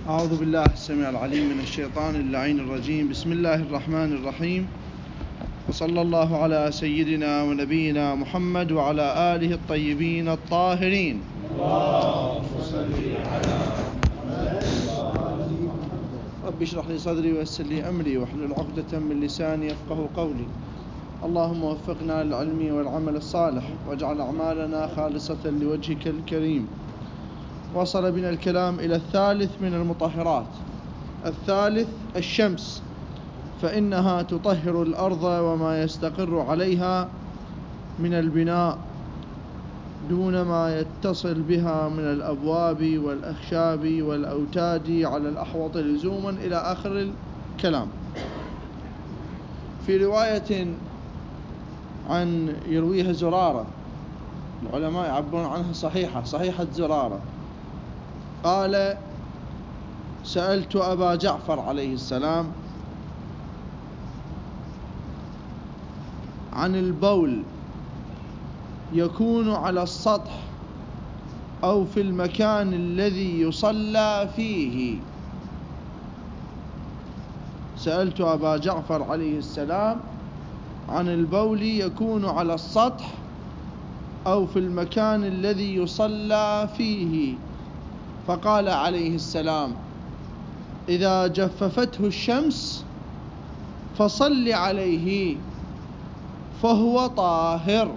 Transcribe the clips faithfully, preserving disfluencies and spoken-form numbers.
أعوذ بالله السميع العليم من الشيطان اللعين الرجيم. بسم الله الرحمن الرحيم، وصلى الله على سيدنا ونبينا محمد وعلى آله الطيبين الطاهرين. اللهم صل على محمد. رب اشرح لي صدري ويسر لي أمري واحلل عقدة من لساني يفقه قولي. اللهم وفقنا للعلم والعمل الصالح واجعل أعمالنا خالصة لوجهك الكريم. وصل بنا الكلام إلى الثالث من المطهرات. الثالث الشمس، فإنها تطهر الأرض وما يستقر عليها من البناء دون ما يتصل بها من الأبواب والأخشاب والأوتاد على الأحوط لزوما إلى آخر الكلام. في رواية عن يرويها زرارة، العلماء يعبرون عنها صحيحة صحيحة زرارة، قال: سألت أبا جعفر عليه السلام عن البول يكون على السطح أو في المكان الذي يصلى فيه. سألت أبا جعفر عليه السلام عن البول يكون على السطح أو في المكان الذي يصلى فيه، فقال عليه السلام: إذا جففته الشمس فصل عليه فهو طاهر.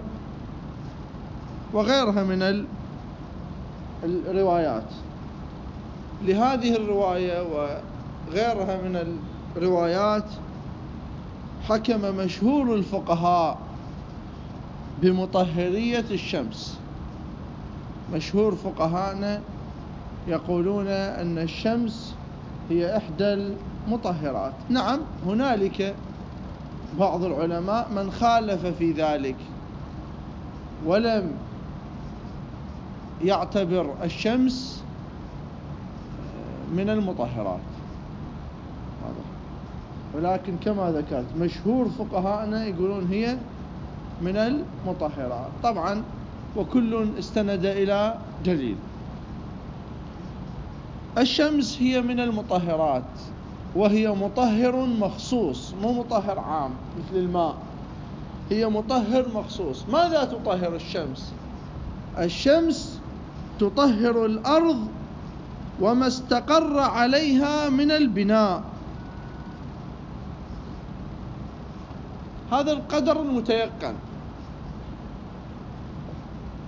وغيرها من الروايات. لهذه الرواية وغيرها من الروايات حكم مشهور الفقهاء بمطهرية الشمس. مشهور فقهاءنا يقولون أن الشمس هي إحدى المطهرات. نعم، هنالك بعض العلماء من خالف في ذلك ولم يعتبر الشمس من المطهرات، ولكن كما ذكرت مشهور فقهاءنا يقولون هي من المطهرات طبعا، وكل استند إلى دليل. الشمس هي من المطهرات، وهي مطهر مخصوص، مو مطهر عام مثل الماء، هي مطهر مخصوص. ماذا تطهر الشمس؟ الشمس تطهر الأرض وما استقر عليها من البناء. هذا القدر المتيقن.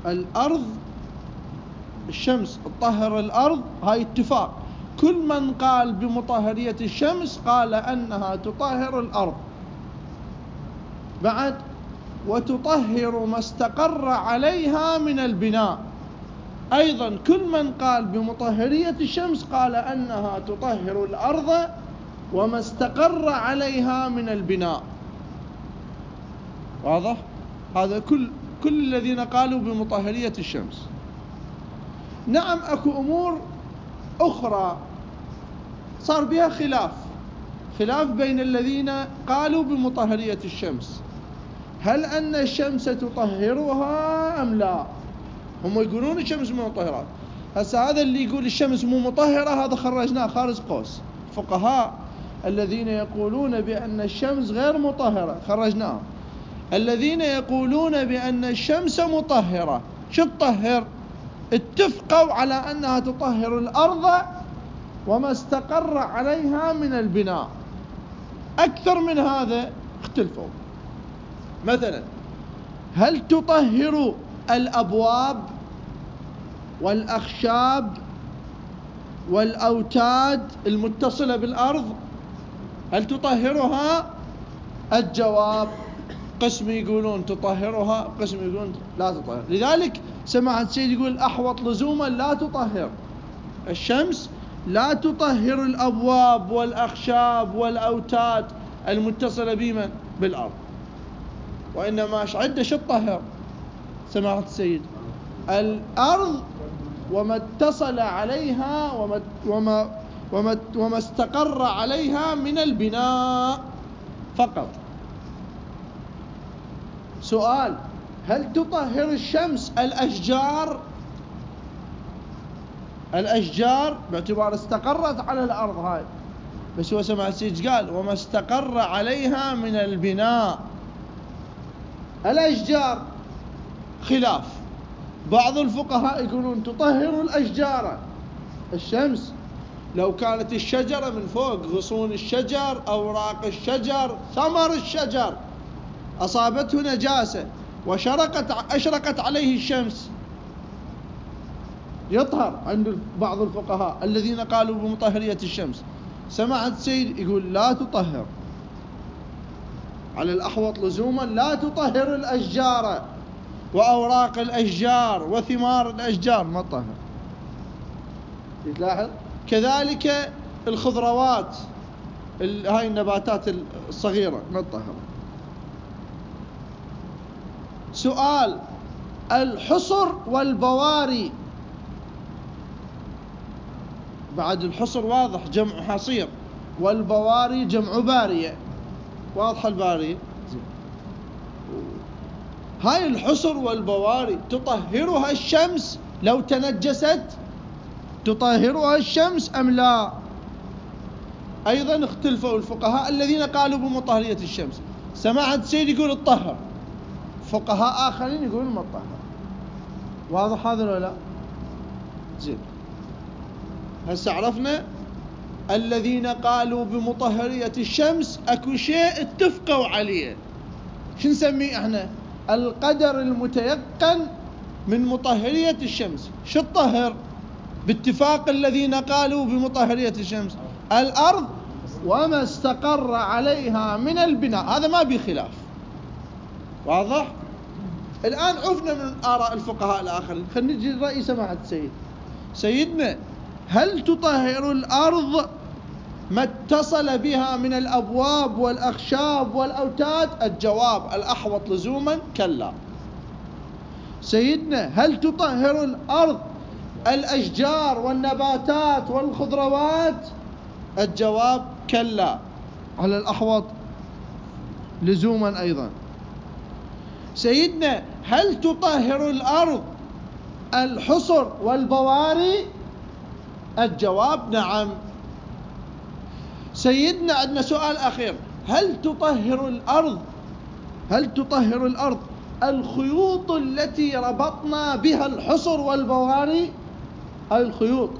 الأرض، الشمس تطهر الأرض، هاي اتفاق. كل من قال بمطهرية الشمس قال أنها تطهر الأرض. بعد: وتطهر ما استقر عليها من البناء. أيضا كل من قال بمطهرية الشمس قال أنها تطهر الأرض وما استقر عليها من البناء. واضح؟ هذا كل كل الذين قالوا بمطهرية الشمس. نعم، أكو أمور أخرى صار بها خلاف خلاف بين الذين قالوا بمطهرية الشمس. هل أن الشمس تطهرها أم لا؟ هم يقولون الشمس مو مطهرات. هسا هذا اللي يقول الشمس مو مطهرة هذا خرجناه خارج قوس. فقهاء الذين يقولون بأن الشمس غير مطهرة خرجناهم. الذين يقولون بأن الشمس مطهرة شو تطهر؟ اتفقوا على أنها تطهر الأرض وما استقر عليها من البناء. أكثر من هذا اختلفوا. مثلا: هل تطهر الأبواب والأخشاب والأوتاد المتصلة بالأرض؟ هل تطهرها؟ الجواب: قسم يقولون تطهرها، قسم يقولون لا تطهر. لذلك سماحة السيد يقول الأحوط لزوما لا تطهر الشمس، لا تطهر الأبواب والأخشاب والأوتاد المتصلة بمن؟ بالأرض. وإنما ايش عده شو تطهر سماحة السيد؟ الأرض وما اتصل عليها وما وما وما, وما استقر عليها من البناء فقط. سؤال: هل تطهر الشمس الأشجار؟ الأشجار باعتبار استقرت على الأرض هاي، بس هو سمع السيد قال وما استقر عليها من البناء. الأشجار خلاف، بعض الفقهاء يقولون تطهر الأشجار الشمس لو كانت الشجرة من فوق، غصون الشجر، أوراق الشجر، ثمر الشجر أصابته نجاسة وشرقت أشرقت عليه الشمس يطهر عند بعض الفقهاء الذين قالوا بمطهرية الشمس. سمعت سيد يقول لا تطهر، على الأحوط لزوما لا تطهر الأشجار وأوراق الأشجار وثمار الأشجار ما تطهر. تلاحظ كذلك الخضروات هاي النباتات الصغيرة ما تطهر. سؤال: الحصر والبواري، بعد الحصر واضح جمع حصير، والبواري جمع بارية، واضحة البارية. هاي الحصر والبواري تطهرها الشمس لو تنجست؟ تطهرها الشمس أم لا؟ أيضا اختلفوا الفقهاء الذين قالوا بمطهرية الشمس. سمعت سيد يقول الطهر، فقهاء آخرين يقولون ما الطهر. واضح هذا ولا لا؟ زين، هسه عرفنا الذين قالوا بمطهرية الشمس اكو شيء اتفقوا عليه، شو نسميه احنا؟ القدر المتيقن من مطهرية الشمس. شو الطهر باتفاق الذين قالوا بمطهرية الشمس؟ الأرض وما استقر عليها من البناء، هذا ما بيه خلاف. واضح؟ الآن عفنا من آراء الفقهاء الآخرين، خلينا نجي لرأي سماحة السيد. سيدنا، هل تطهر الأرض ما اتصل بها من الأبواب والأخشاب والأوتاد؟ الجواب الأحوط لزوما كلا. سيدنا، هل تطهر الأرض الأشجار والنباتات والخضروات؟ الجواب كلا على الأحوط لزوما أيضا. سيدنا، هل تطهر الأرض الحصر والبواري؟ الجواب نعم. سيدنا، عندنا سؤال أخير: هل تطهر الأرض هل تطهر الأرض الخيوط التي ربطنا بها الحصر والبواري؟ هاي الخيوط؟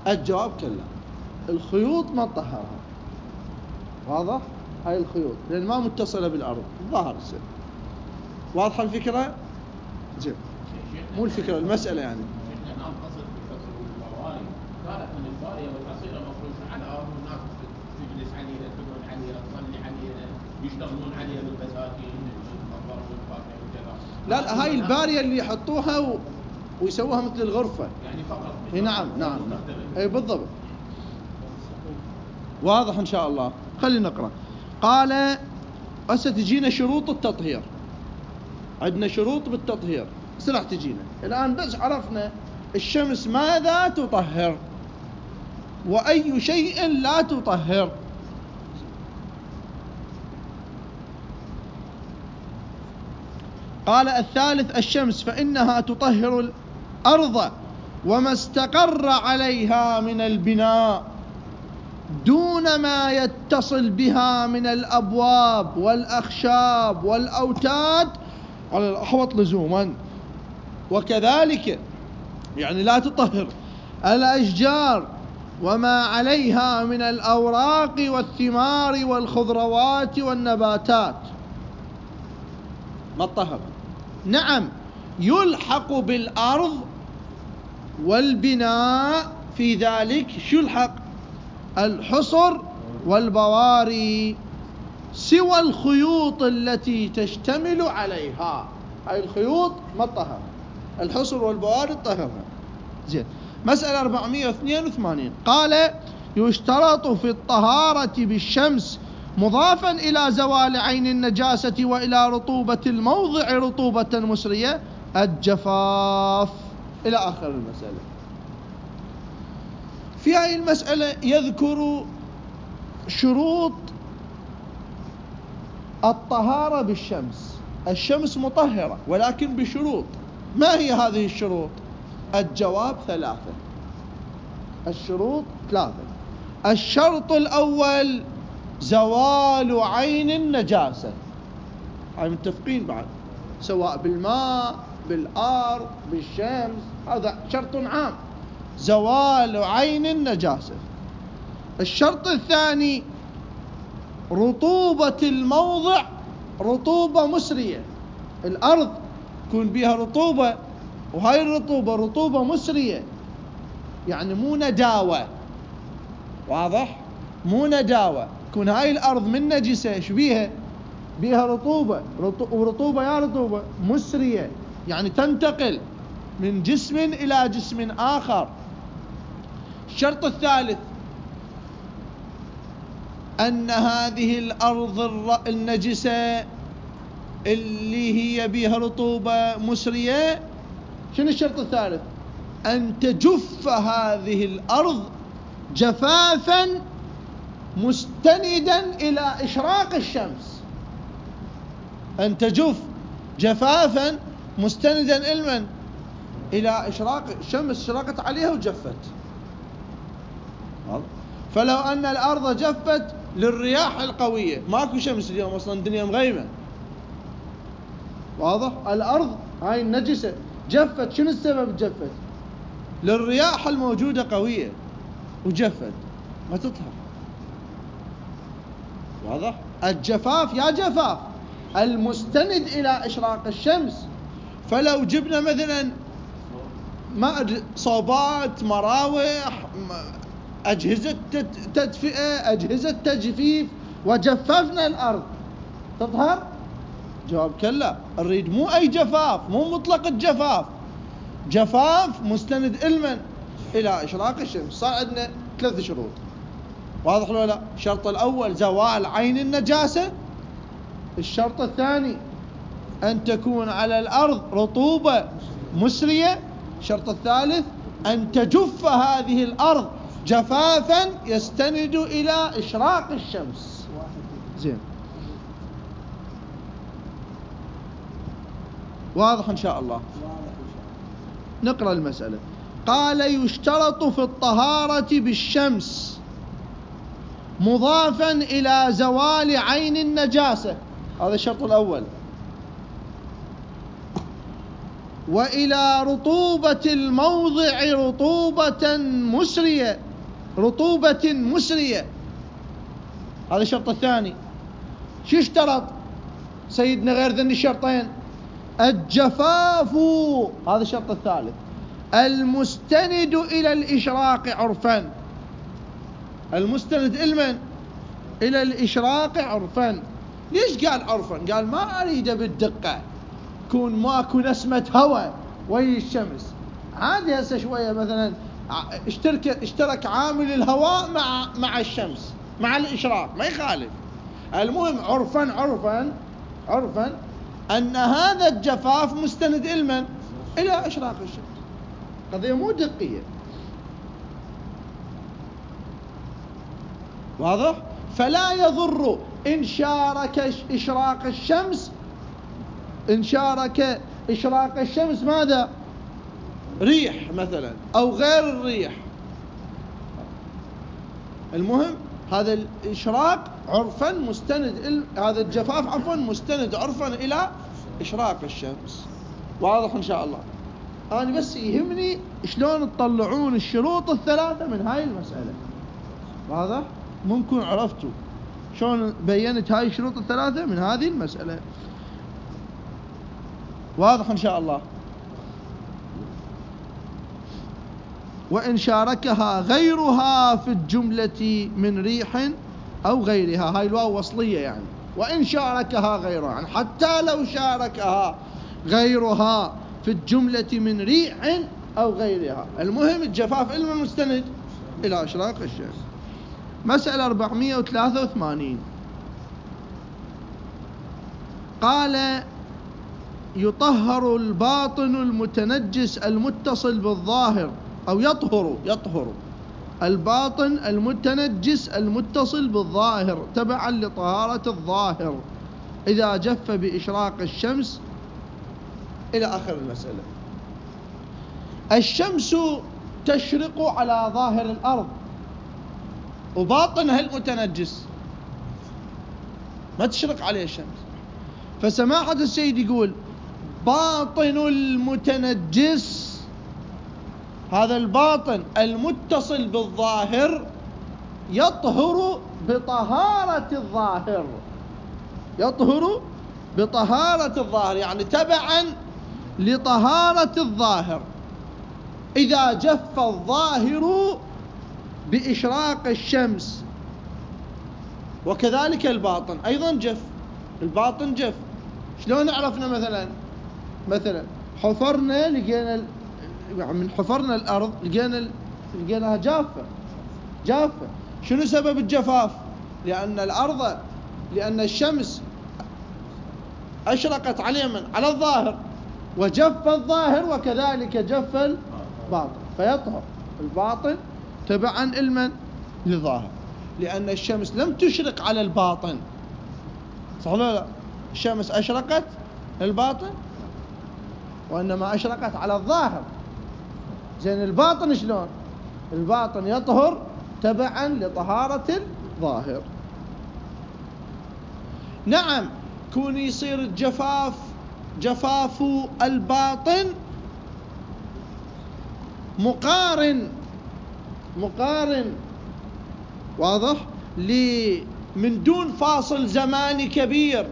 الجواب كلا، الخيوط ما تطهرها. واضح؟ هاي الخيوط لأن ما متصلة بالأرض، ظاهر السنة. واضحة الفكرة؟ زين، مو الفكرة المسألة يعني. نعم، قصد بالحصر والبواري كانت من البارية والحصيرة مفروشة على الأرض، والناس تجلس عليها، تقعد عليها، تصلي عليها، يشتغلون عليها بالبساتين، المطبخ والفاكهة وكذا. لا لا، هاي البارية اللي يحطوها و... ويسووها مثل الغرفة يعني فقط. اي نعم نعم نعم اي بالضبط. واضح ان شاء الله. خلينا نقرأ. قال: هسه تجينا شروط التطهير، عندنا شروط بالتطهير بس راح تجينا الآن. بس عرفنا الشمس ماذا تطهر وأي شيء لا تطهر. قال: الثالث الشمس، فإنها تطهر الأرض وما استقر عليها من البناء دون ما يتصل بها من الأبواب والأخشاب والأوتاد على الأحوط لزوما. وكذلك يعني لا تطهر الأشجار وما عليها من الأوراق والثمار والخضروات والنباتات، ما تطهر. نعم، يلحق بالأرض والبناء في ذلك شو الحق؟ الحصر والبواري، سوى الخيوط التي تشتمل عليها. هاي الخيوط ما تطهر، الحصر والبواري تطهرها. زين، مسألة أربعمائة واثنين وثمانين. قال: يشترط في الطهارة بالشمس مضافا إلى زوال عين النجاسة وإلى رطوبة الموضع رطوبة مسرية الجفاف، إلى آخر المسألة. في هذه المسألة يذكر شروط الطهارة بالشمس. الشمس مطهرة ولكن بشروط. ما هي هذه الشروط؟ الجواب ثلاثة، الشروط ثلاثة. الشرط الأول زوال عين النجاسة، هاي متفقين بعد، سواء بالماء بالأرض بالشمس، هذا شرط عام، زوال عين النجاسة. الشرط الثاني رطوبة الموضع، رطوبة مسرية، الأرض يكون بها رطوبة، وهاي الرطوبة رطوبة مسرية، يعني مو نداوة، واضح؟ مو نداوة، يكون هاي الأرض من نجسة ايش بيها؟ بيها رطوبة، ورطوبة يا رطوبة مسرية، يعني تنتقل من جسم إلى جسم آخر. الشرط الثالث أن هذه الأرض النجسة اللي هي بها رطوبة مسرية، شنو الشرط الثالث؟ أن تجف هذه الأرض جفافا مستندا إلى إشراق الشمس، أن تجف جفافا مستندا إلى إلى إشراق الشمس، شرقت عليها وجفت. فلو أن الأرض جفت للرياح القوية، ماكو شمس اليوم أصلا، الدنيا مغيمة، واضح؟ الأرض هاي النجسة جفت، شنو السبب جفت؟ للرياح الموجودة قوية وجفت، ما تطهر، واضح؟ الجفاف يا جفاف المستند إلى إشراق الشمس. فلو جبنا مثلا ما صوبات، مراوح، أجهزة تدفئة، أجهزة تجفيف، وجففنا الأرض، تطهر؟ جواب كلا، نريد مو أي جفاف، مو مطلق الجفاف، جفاف مستند إلمن إلى إشراق الشمس. صار عندنا ثلاث شروط، واضح ولا لا؟ الشرط الأول زوال عين النجاسة، الشرط الثاني أن تكون على الأرض رطوبة مسرية، الشرط الثالث أن تجف هذه الأرض جفافا يستند إلى إشراق الشمس. زين، واضح إن شاء الله؟ نقرأ المسألة. قال يشترط في الطهارة بالشمس مضافا إلى زوال عين النجاسة، هذا الشرط الأول، وإلى رطوبة الموضع رطوبة مسرية، رطوبة مسرية، هذا الشرط الثاني. شو اشترط سيدنا غير ذن الشرطين؟ الجفاف، هذا الشرط الثالث، المستند إلى الإشراق عرفا، المستند إلمن؟ إلى الإشراق عرفا. ليش قال عرفا؟ قال ما أريده بالدقة، يكون ماكو نسمة هواء ويا الشمس، عادي هسه شوية مثلا اشترك اشترك عامل الهواء مع مع الشمس مع الإشراق، ما يخالف، المهم عرفا عرفا عرفا أن هذا الجفاف مستند إلمن؟ إلى إشراق الشمس، قضية مو دقية، واضح؟ فلا يضر إن شارك إشراق الشمس، إن شارك إشراق الشمس ماذا؟ ريح مثلا أو غير الريح، المهم هذا الإشراق عرفا مستند، هذا الجفاف عفوا مستند عرفا إلى إشراق الشمس. واضح إن شاء الله؟ أنا بس يهمني شلون تطلعون الشروط الثلاثة من هاي المسألة، واضح؟ ممكن عرفتوا شلون بينت هاي الشروط الثلاثة من هذه المسألة، واضح إن شاء الله؟ وإن شاركها غيرها في الجملة من ريح أو غيرها، هاي الواو وصلية يعني، وإن شاركها غيرها يعني حتى لو شاركها غيرها في الجملة من ريح أو غيرها، المهم الجفاف إلى المستند إلى إشراق الشمس. مسألة أربعمائة وثلاثة وثمانين. قال يطهر الباطن المتنجس المتصل بالظاهر، أو يطهر يطهر الباطن المتنجس المتصل بالظاهر تبعا لطهارة الظاهر إذا جف بإشراق الشمس، إلى آخر المسألة. الشمس تشرق على ظاهر الأرض وباطنها المتنجس ما تشرق عليه الشمس. فسماحة السيد يقول باطن المتنجس، هذا الباطن المتصل بالظاهر يطهر بطهارة الظاهر، يطهر بطهارة الظاهر، يعني تبعا لطهارة الظاهر. إذا جف الظاهر بإشراق الشمس، وكذلك الباطن أيضا جف، الباطن جف. شلون عرفنا؟ مثلا مثلا حفرنا لقينا من حفرنا الأرض لقينا لقيناها جافة جافة. شنو سبب الجفاف؟ لأن الأرض لأن الشمس أشرقت على من؟ على الظاهر، وجف الظاهر وكذلك جف الباطن، فيطهر الباطن تبعا المن؟ للظاهر، لأن الشمس لم تشرق على الباطن، صح ولا لا؟ الشمس أشرقت الباطن وإنما أشرقت على الظاهر. زين الباطن شلون؟ الباطن يطهر تبعا لطهارة الظاهر. نعم، كون يصير الجفاف جفاف الباطن مقارن مقارن واضح من دون فاصل زماني كبير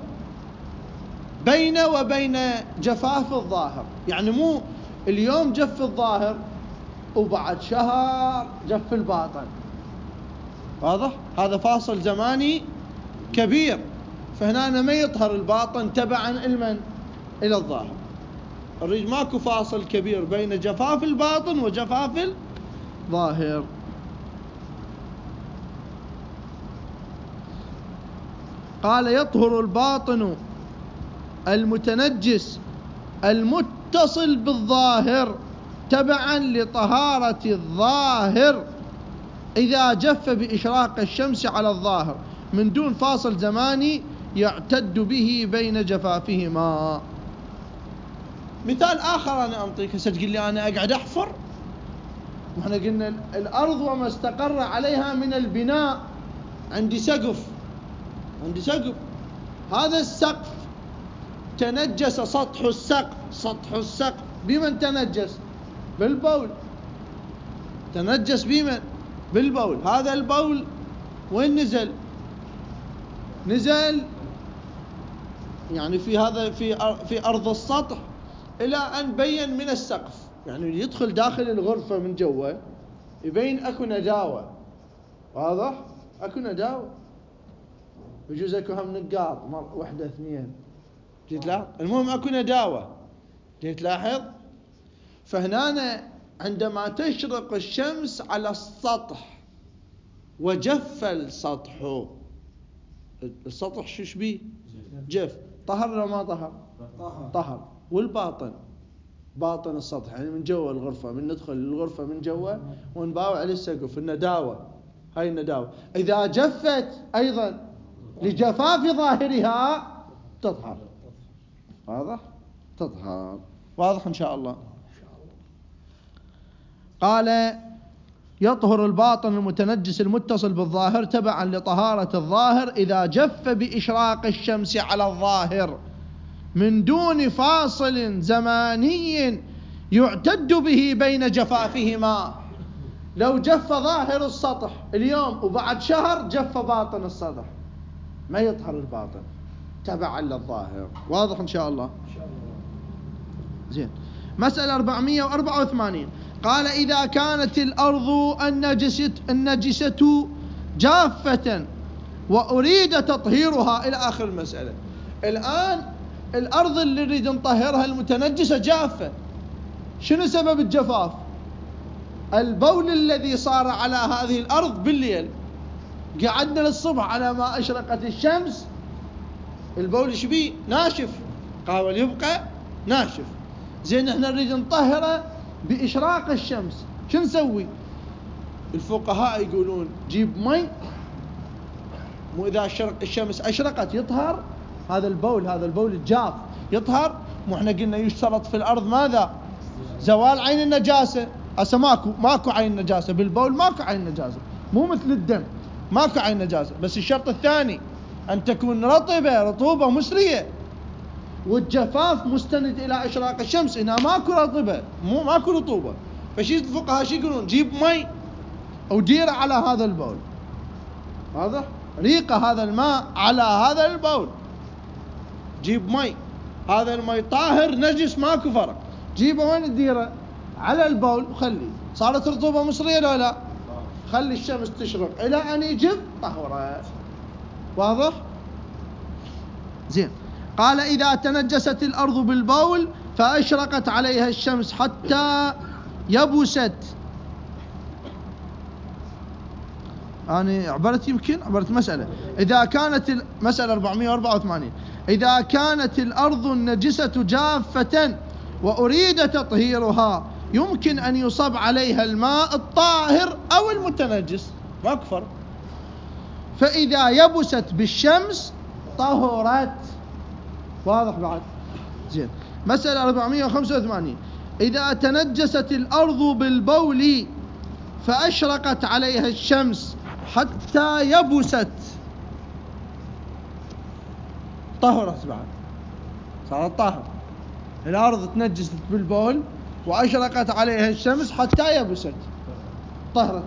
بين وبين جفاف الظاهر. يعني مو اليوم جف الظاهر وبعد شهر جف الباطن، واضح؟ هذا فاصل زماني كبير، فهنا ما يطهر الباطن تبعا المن؟ إلى الظاهر. الريج ماكو فاصل كبير بين جفاف الباطن وجفاف الظاهر. قال يطهر الباطن المتنجس المتصل بالظاهر تبعا لطهارة الظاهر إذا جف بإشراق الشمس على الظاهر من دون فاصل زماني يعتد به بين جفافهما. مثال آخر أنا أنطيك. هسه تقول لي أنا أقعد أحفر، وإحنا قلنا الأرض وما استقر عليها من البناء، عندي سقف عندي سقف هذا السقف تنجس سطح السقف سطح السقف بمن تنجس؟ بالبول. تنجس بمن؟ بالبول. هذا البول وين نزل؟ نزل يعني في هذا في في أرض السطح إلى أن بين من السقف، يعني يدخل داخل الغرفة من جوا يبين أكو نداوة، واضح؟ أكو نداوة، يجوز أكو هم نقاط واحدة اثنين، جيت لاحظ؟ المهم أكو نداوة، جيت لاحظ؟ فهنا عندما تشرق الشمس على السطح وجف السطح، السطح شو شبيه؟ جف. طهر ولا ما طهر؟ طهر. والباطن باطن السطح يعني من جوا الغرفة، من ندخل الغرفة من جوا ونباوع على السقف النداوة، هاي النداوة إذا جفت أيضا لجفاف ظاهرها تطهر، واضح؟ تطهر، واضح إن شاء الله. قال يطهر الباطن المتنجس المتصل بالظاهر تبعا لطهارة الظاهر إذا جف بإشراق الشمس على الظاهر من دون فاصل زماني يعتد به بين جفافهما. لو جف ظاهر السطح اليوم وبعد شهر جف باطن السطح ما يطهر الباطن تبعا للظاهر، واضح إن شاء الله. زين. مسألة أربعمائة وأربعة وثمانين. قال إذا كانت الأرض النجسة, النجسة جافة وأريد تطهيرها إلى آخر المسألة. الآن الأرض اللي نريد نطهرها المتنجسة جافة. شنو سبب الجفاف؟ البول الذي صار على هذه الأرض بالليل، قعدنا للصبح على ما أشرقت الشمس، البول شبيه؟ ناشف، قاول يبقى ناشف. زين احنا نريد نطهره بإشراق الشمس، شو نسوي؟ الفقهاء يقولون جيب مي، مو إذا الشرق الشمس أشرقت يطهر هذا البول، هذا البول الجاف يطهر. مو احنا قلنا يشترط في الأرض ماذا؟ زوال عين النجاسة. هسه ماكو ماكو عين نجاسة بالبول، ماكو عين نجاسة، مو مثل الدم ماكو عين نجاسة. بس الشرط الثاني أن تكون رطبة، رطوبة مسرية، والجفاف مستند إلى إشراق الشمس. هنا ماكو رطبة، مو ماكو رطوبة، فشي الفقهاء شي يقولون؟ جيب مي وديره على هذا البول، واضح؟ ريقة هذا الماء على هذا البول، جيب مي، هذا المي طاهر نجس ماكو فرق، جيبه وين تديره؟ على البول وخلي. صارت رطوبة مصرية لو لا؟ خلي الشمس تشرق إلى أن يجف طهره. واضح؟ زين. قال إذا تنجست الأرض بالبول فأشرقت عليها الشمس حتى يبست. أنا عبرت يمكن عبرت مسألة. إذا كانت المسألة أربعمائة وأربعة وثمانين، إذا كانت الأرض النجسة جافة وأريد تطهيرها يمكن أن يصب عليها الماء الطاهر أو المتنجس، ما أكفر. فإذا يبست بالشمس طهرت. واضح بعد؟ زين. مسألة أربعمائة وخمسة وثمانين، إذا تنجست الأرض بالبول فأشرقت عليها الشمس حتى يبست طهرت بعد، صارت طاهر. الأرض تنجست بالبول وأشرقت عليها الشمس حتى يبست طهرت.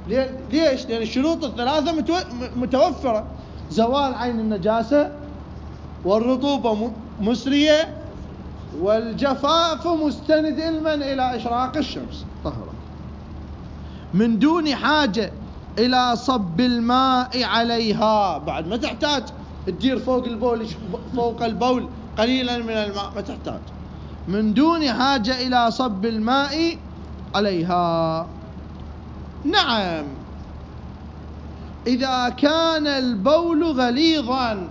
ليش؟ لأن الشروط الثلاثة متوفرة: زوال عين النجاسة، والرطوبة مسرية، والجفاف مستند علما إلى إشراق الشمس، طهرت من دون حاجة إلى صب الماء عليها. بعد ما تحتاج تدير فوق البول فوق البول قليلا من الماء، ما تحتاج، من دون حاجة إلى صب الماء عليها. نعم، إذا كان البول غليظا.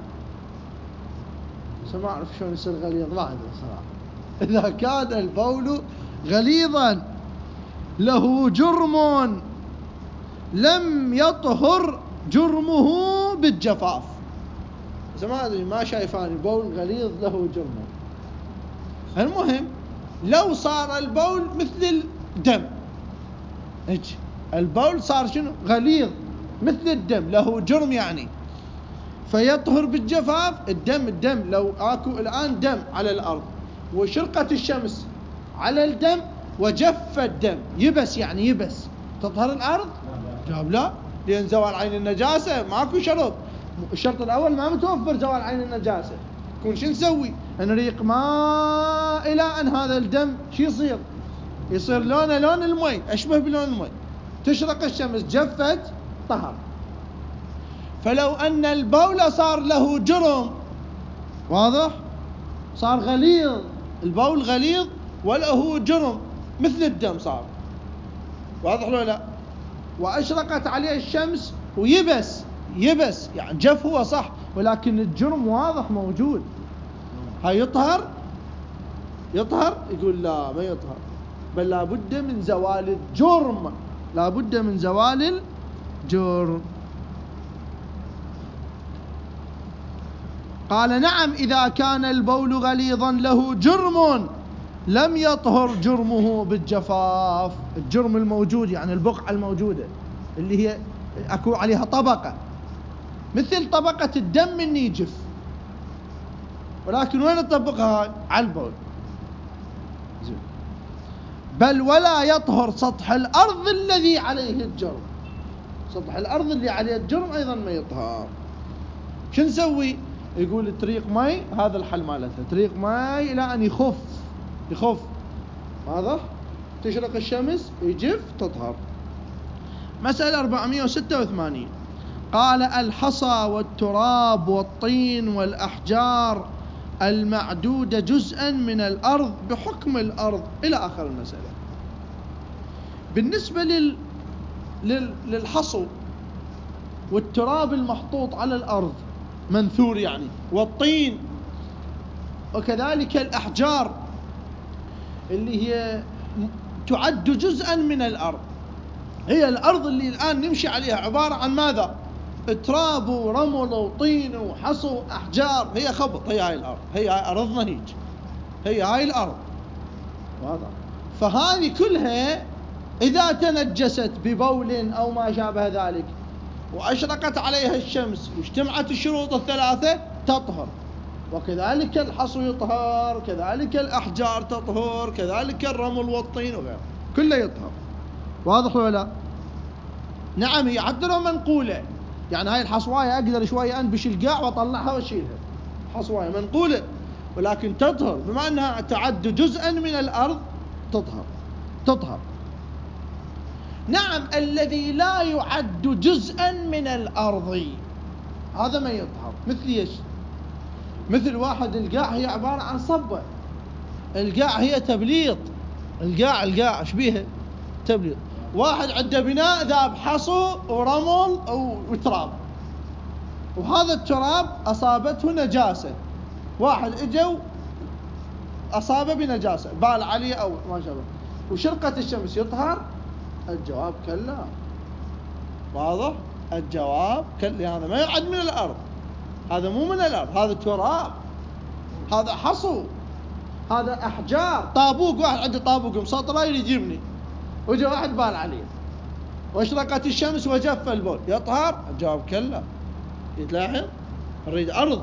ما أعرف شلون يصير غليظ، ما عندي صراحة. إذا كان البول غليظا له جرم لم يطهر جرمه بالجفاف. ما أدري، ما شايفاني بول غليظ له جرم. المهم لو صار البول مثل الدم، ايش البول صار شنو؟ غليظ مثل الدم، له جرم يعني، فيطهر بالجفاف. الدم الدم لو اكو الآن دم على الأرض وشرقت الشمس على الدم وجف الدم، يبس يعني يبس، تطهر الأرض؟ جواب لا، لأن زوال عين النجاسة ماكو شرط. الشرط الأول ما متوفر زوال عين النجاسة، كون شو نسوي؟ نريق ماء إلى أن هذا الدم شو يصير؟ يصير لونه لون المي، أشبه بلون المي، تشرق الشمس جفت طهر. فلو أن البول صار له جرم، واضح؟ صار غليظ، البول غليظ وله جرم مثل الدم صار، واضح لو لا؟ وأشرقت عليه الشمس ويبس، يبس يعني جف هو صح، ولكن الجرم واضح موجود، هاي يطهر؟ يطهر؟ يقول لا، ما يطهر، بل لابد من زوال الجرم، لابد من زوال الجرم. قال نعم، إذا كان البول غليظا له جرم لم يطهر جرمه بالجفاف. الجرم الموجود يعني البقعة الموجودة اللي هي أكو عليها طبقة، مثل طبقة الدم من يجف، ولكن وين نطبقها؟ على البول. بل ولا يطهر سطح الأرض الذي عليه الجرم، سطح الأرض اللي عليه الجرم أيضا ما يطهر. شو نسوي؟ يقول طريق ماء، هذا الحل مالتها، طريق ماء إلى أن يخف يخف واضح؟ تشرق الشمس يجف تطهر. مسألة أربعمائة وستة وثمانين، قال الحصى والتراب والطين والأحجار المعدودة جزءا من الأرض بحكم الأرض، إلى آخر المسألة. بالنسبة لل... لل... للحصو والتراب المحطوط على الأرض منثور يعني، والطين، وكذلك الأحجار اللي هي تعد جزءا من الأرض. هي الأرض اللي الآن نمشي عليها عبارة عن ماذا؟ تراب ورمل وطين وحصو أحجار، هي خبط، هي هاي الأرض، هي هاي أرضنا هيج، هي هاي الأرض، واضح؟ فهذه كلها إذا تنجست ببول أو ما شابه ذلك وأشرقت عليها الشمس واجتمعت الشروط الثلاثة تطهر. وكذلك الحصى يطهر، كذلك الأحجار تطهر، كذلك الرمل والطين وغيره كله يطهر. واضح ولا لا؟ نعم، هي حتى لو منقولة، يعني هاي الحصواية أقدر شوية أنبش القاع وأطلعها وأشيلها، حصواية منقولة ولكن تطهر، بما أنها تعد جزءا من الأرض تطهر تطهر. نعم، الذي لا يعد جزءا من الأرض هذا ما يطهر. مثل ايش؟ مثل واحد القاع هي عبارة عن صبة، القاع هي تبليط، القاع القاع ايش بيها؟ تبليط. واحد عنده بناء ذاب حصو ورمل وتراب، وهذا التراب أصابته نجاسة، واحد اجوا أصابه بنجاسة بال عليه أو ما شابه وشرقت الشمس، يطهر؟ الجواب كلا. واضح؟ الجواب كلا، هذا ما يعد من الأرض، هذا مو من الأرض، هذا تراب، هذا حصو، هذا أحجار. طابوق، واحد عنده طابوق مسطرة يريد يبني وجاء واحد بال عليه واشرقت الشمس وجف البول، يطهر؟ الجواب كلا. يتلاحظ؟ نريد أرض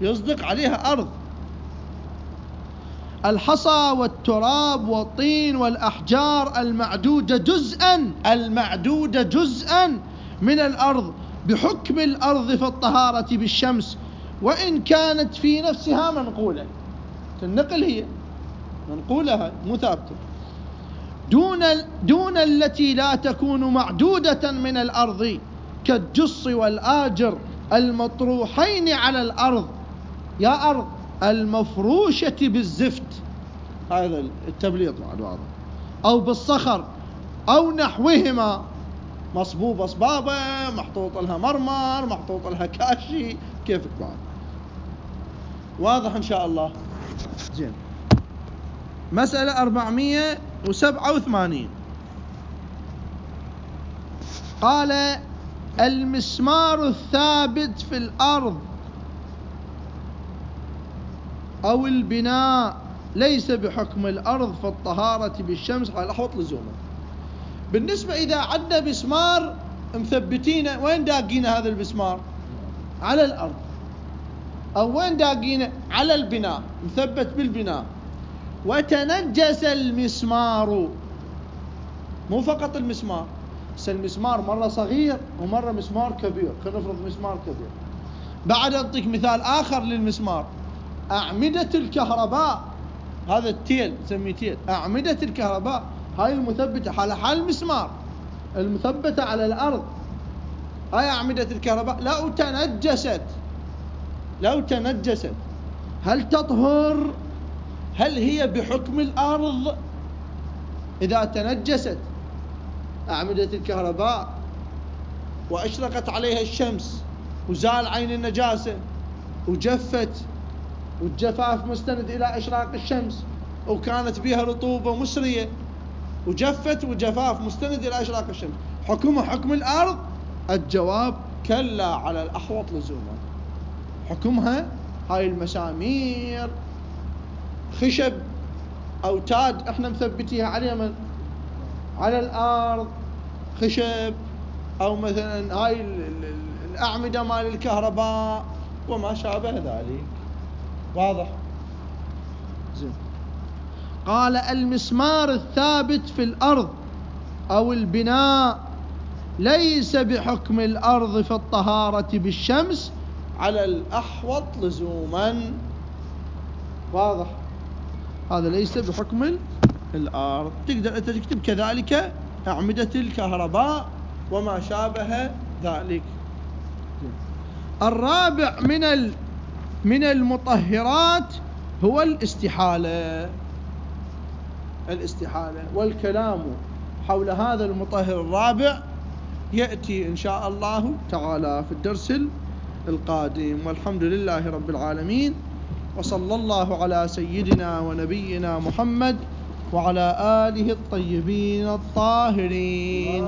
يصدق عليها أرض. الحصى والتراب والطين والأحجار المعدودة جزءا المعدودة جزءا من الأرض بحكم الأرض في الطهارة بالشمس، وإن كانت في نفسها منقولة. النقل هي منقولة مو ثابتة، دون دون التي لا تكون معدودة من الأرض كالجص والآجر المطروحين على الأرض، يا أرض المفروشة بالزفت، هذا التبليط بعد واضح، أو بالصخر أو نحوهما، مصبوبة صبابة، محطوط لها مرمر، محطوط لها كاشي، كيفك بعد. واضح إن شاء الله؟ زين. مسألة أربعمائة وسبعة وثمانين، قال المسمار الثابت في الأرض أو البناء ليس بحكم الأرض في الطهارة بالشمس على الأحوط لزوما. بالنسبة إذا عندنا مسمار مثبتينه، وين داقينه هذا المسمار؟ على الأرض. أو وين داقينه؟ على البناء، مثبت بالبناء، وتنجس المسمار، مو فقط المسمار، بس المسمار مرة صغير ومرة مسمار كبير، خلينا نفرض مسمار كبير. بعد أعطيك مثال آخر للمسمار، أعمدة الكهرباء، هذا التيل نسميه تيل، أعمدة الكهرباء هاي المثبتة على حال المسمار، المثبتة على الأرض، هاي أعمدة الكهرباء لو تنجست لو تنجست هل تطهر؟ هل هي بحكم الأرض؟ إذا تنجست أعمدة الكهرباء وأشرقت عليها الشمس وزال عين النجاسة وجفت، والجفاف مستند إلى إشراق الشمس، وكانت بها رطوبة مسرية وجفت، وجفاف مستند إلى إشراق الشمس، حكمها حكم الأرض؟ الجواب كلا على الأحوط لزوما. حكمها هاي المسامير خشب أوتاد احنا مثبتيها على من؟ على الأرض، خشب، أو مثلا هاي الأعمدة مال الكهرباء وما شابه ذلك. واضح؟ زين. قال المسمار الثابت في الأرض أو البناء ليس بحكم الأرض في الطهارة بالشمس على الأحوط لزوما. واضح؟ هذا ليس بحكم الأرض. تقدر أنت تكتب كذلك أعمدة الكهرباء وما شابه ذلك. الرابع من ال من المطهرات هو الاستحالة. الاستحالة والكلام حول هذا المطهر الرابع يأتي إن شاء الله تعالى في الدرس القادم. والحمد لله رب العالمين، وصلى الله على سيدنا ونبينا محمد وعلى آله الطيبين الطاهرين.